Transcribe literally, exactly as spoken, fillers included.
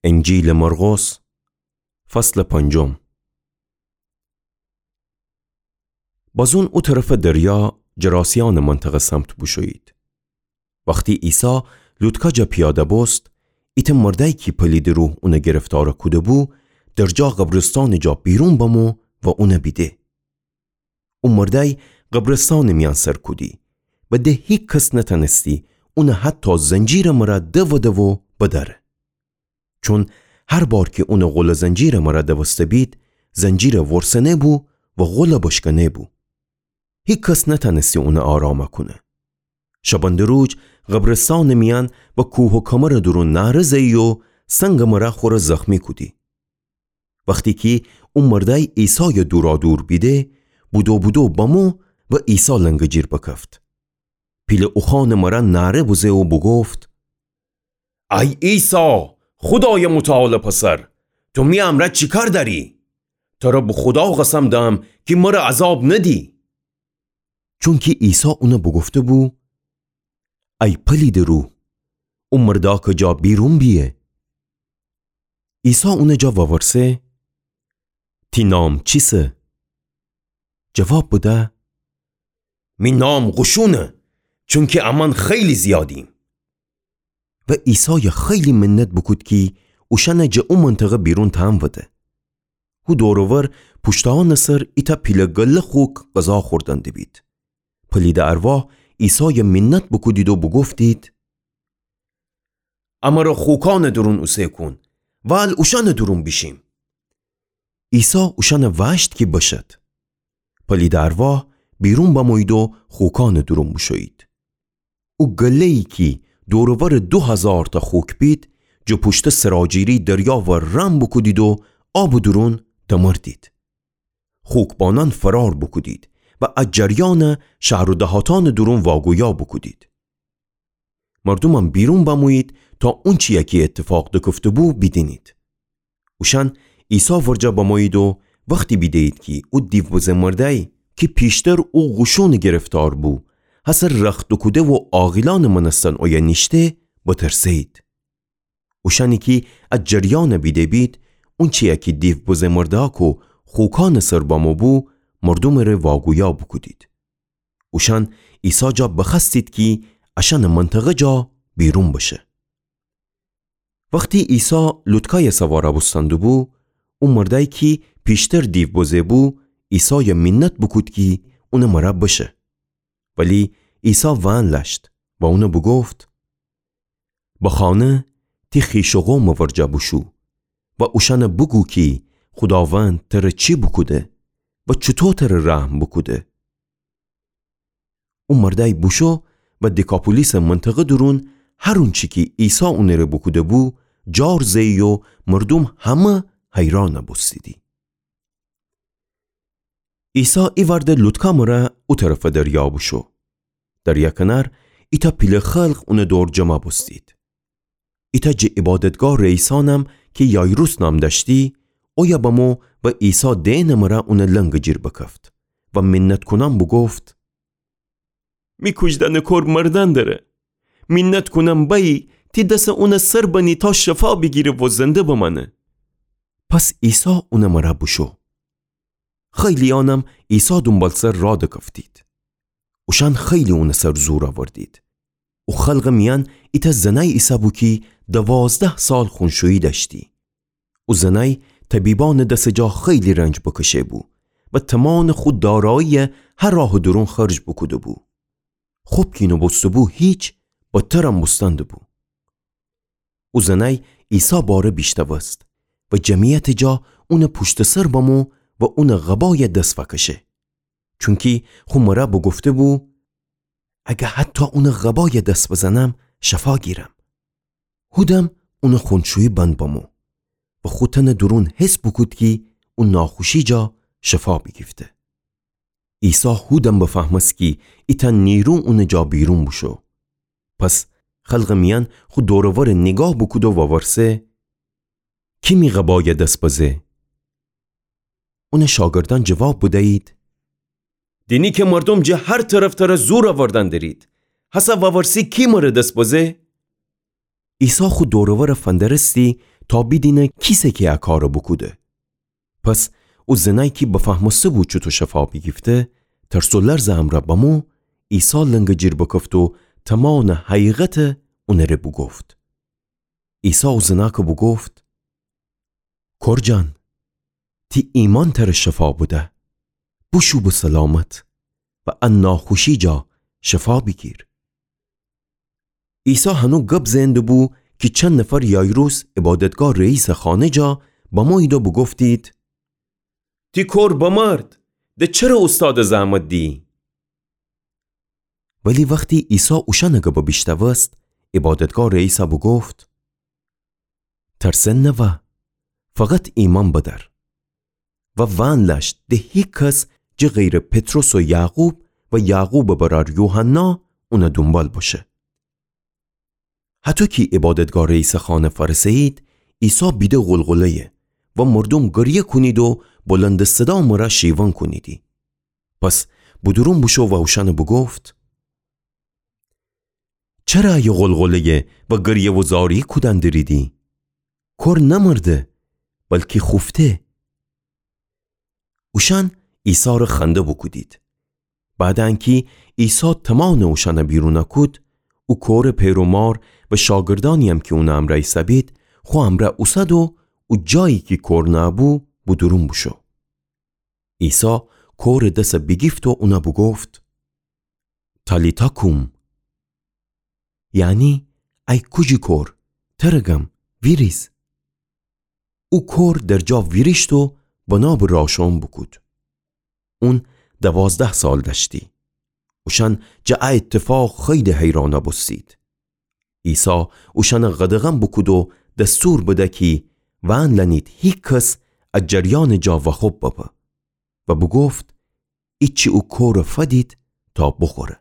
انجیلٚ مرقس، فصلٚ پنجم. بازون او طرفٚ دریا جراسیأنٚ منطقه سمت بوشویید. وختی عیسی لوطکا جا پیاده بوست، ایتأ مردأی کی پلیدٚ روح اونَ گرفتار کوده‌بو، درجا قبرستانٚ جا بیرون بمو و اونَ بیده. او مردأی قبرستانٚ میأن سر کودی و ده هیکس نتأنستی اونَ حتی زنجیرٚ مرأ دودٚ و بدأره. چون هر بار کی اونَ غول زنجیرٚ مرأ دوسته بید، زنجیرَ ورسنه‌بو و غول بشکنه‌بو. هیکس نتأنستی اونَ آرام کونه. شبنده‌روج قبرستانٚ میأن و کوه و کمرٚ دورون نعره زئی و سنگٚ مرأ خورَ زخمی کودی. وختی کی او مردأی عیسایَ دورادور بیده، بودو بودو بمو و عیسی لنگٚ جیر بکفت. پیله اوخوأنٚ مرأ نعره بزه و بوگفت: ای عیسی، خودایٚ متعالٚ پسر، تو می امرأ چی کار دأری؟ ترَ به خودا قسم دم کی مرَ عذاب ندی. چونکی عیسی اونَ بوگفته‌بو: ای پلیدٚ روح، او مردأکٚ جا بیرون بیه. عیسی اونٚ جا وورسه: تی نام چیسه؟ جواب بده: می نام قوشونه، چونکی امأن خیلی زیادیم. و عیسایَ خیلی منت بوکود کی اوشأنَ جٚه او منطقه بیرون تأنوده. هو دور و ور پوشته‌یأنٚ سر ایتأ پیله گله خوک غذا خوردن دیبید. پلیدٚ ارواح عیسایَ منت بوکودید و بوگفتید: امرَ خوکأنٚ دورون اوسه کون، وال اوشأنٚ دورون بیشیم. عیسی اوشأنَ وأشت کی بشد. پلیدٚ ارواح بیرون بمویید و خوکأنٚ دورون بوشویید. او گله‌یی کی دور و ورٚ دو هزارتأ خوک بید، جٚه پوشتٚ سراجیری دریا ور رم بوکودید و آبٚ دورون دمردید. خوکبانأن فرار بوکودید و ا جریانَ شهر و دهاتأنٚ دورون واگویا بوکودید. مردومأن بیرون بمویید تا اونچی‌یَ کی ایتفاق دکفته‌بو بیدینید. اوشأن عیسی ورجه بمویید و وختی بیده‌یید کی او دیوبزه مردأی کی پیشتر او قوشونٚ گرفتار بو، هسه رخت دوکوده و عاقیلأنٚ مأنستن اویه نیشته، بترسه‌یید. اوشأنی کی ا جریانَ بیده‌بید، اونچی‌یَ کی دیوبزه مردأک و خوکأنٚ سر بمو بو، مردومٚ ره واگویا بوکودید. اوشأن عیسی جا بخوأستید کی اشأنٚ منطقه جا بیرون بشه. وختی عیسی لوطکایَ سوارَ بوستن دوبو، او مردأی کی پیشتر دیو بزه بو، عیسایَ مینت بوکود کی اونٚ مرأ بشه. ولی عیسی وأن لأشت و اونَ بوگفت: به خانه تی خویش و قومٚ ورجه بوشو و اوشأنَ بوگو کی خوداوند تره چی بوکوده و چوطو تره رحم بوکوده. او مردأی بوشو و دیکاپولیسٚ منطقه دورون هر اونچی کی عیسی اونٚ ره بوکوده‌بو، جار زه‌یی و مردوم همه حیرانَ بوستیدی. عیسی ایوأرده لوطکا مرأ او طرفٚ دریا بوشو. دریا کنار ایتأ پیله خلق اونٚ دور جمع بوستید. ایتأ جٚه عبادتگاه رئیسأنم کی یایروس نام دأشتی، اویه بمو و عیسی دئنٚ مرأ اونٚ لنگٚ جیر بکفت و مینت کونأن بوگفت: می کوجدأنٚ کور مردأن دره. مینت کونم بأیی تی دسَ اونٚ سر بنی تا شفا بیگیره و زنده بمأنه. پس عیسی اونٚ مرأ بوشو. خیلی‌یأنم عیسی دونبالسر راه دکفتید. اوشأن خیلی اونٚ سر زور اوردید. او خلقٚ میأن ایتأ زنأی ایسه‌بو کی دوازده سال خونشویی دأشتی. او زنأی طبیبأنٚ دسٚ جا خیلی رنج بکشه‌بو و تومانٚ خو دارایی‌یَ هر راهٚ دورون خرج بوکوده‌بو. خب کی نوبوسته‌بو هیچ، بدترم بوستن دوبو. او زنأی عیسی باره بیشتأوست و جمعیتٚ جا اونٚ پوشتٚ سر بمو و اونٚ قبایَ دس فأکشه. چونکی خو مرأ بوگفته‌بو: اگه حتی اونٚ قبایَ دس بزنم، شفا گیرم. هودم اونٚ خونشویی بند بمو و خو تنٚ دورون حس بوکود کی او ناخوشی جا شفا بیگیفته. عیسی هودم بفهمست کی ایتأ نیرو اونٚ جا بیرون بوشو. پس خلقٚ میأن خو دور و ورَ نیگاه بوکود و وورسه: کی می قبایَ دس بزه؟ اونٚ شاگردأن جواب بدیید: دینی کی مردوم جٚه هر طرف تره زور اوردن درید، هسه وورسی کی مره دس بزه؟ عیسی خو دور و ورَ فندرستی تا بیدینه کیسه کی ا کارَ بوکوده. پس او زنأی کی بفهمسته‌بو چوطو شفا بیگیفته، ترس و لرزٚ امرأ بمو، عیسی لنگٚ جیر بکفت و تمانٚ حقیقتَ اونٚره بوگفت. عیسی او زنأکَ بوگفت: کور جان، تی ایمأن ترَ شفا بده. بوشو به سلامت و ا ناخوشی جا شفا بیگیر. عیسی هنو گب زئنده‌بو کی چند نفر یایروس عبادتگاه رئیسٚ خانه جا بمویید و بوگفتید: تی کور بمرد، د چره اوستادَ زحمت دیی؟ ولی وختی عیسی اوشأنٚ گبَ بیشنوست، عبادتگاه رئیسَ بوگفت: ترسن نوا، فقط ایمأن بدأر. و وأن لأشت د هیکس جه غیرٚ پطرس و یعقوب و یعقوبٚ برأر یوحنا اونٚ دونبال بشه. هطو کی عبادتگاه رئیسٚ خانه فأرسه‌یید، عیسی بیده غلغله‌یه و مردوم گریه کونید و بلندٚ صدا مرا شیون کونیدی. پس بودورون بوشو و اوشأنَ بوگفت: چره ایه غلغله‌یه و گریه و زاری کودن دریدی؟ کور نمرده، بلکی خوفته. اوشأن عیسی‌ره خنده بوکودید. بعدٚ انکی عیسی تمانٚ اوشأنَ بیرون کود، او کورٚ پئر و مار و شاگردأنی‌یم کی اونٚ امرأ ایسه‌بید، خو امرأ اوسد و او جایی کی کور نأبو بودورون بوشو. عیسی کورٚ دسَ بیگیفت و اونَ بوگفت: تالیتا کوم، یعنی ای کوجی کور، ترَ گم، ویریز. او کور در جا ویریشت و بنا به راشون بوکود. اون دوازده سال دأشتی. اوشأن جه ا ایتفاق خیلی حیران بوستید. عیسی اوشأنَ قدغن بوکود و دستور بده کی وأن لأنید هیکس ا جریانٚ جا وأخوب ببه. و بوگفت: ایچی او کورَ فدید تا بوخوره.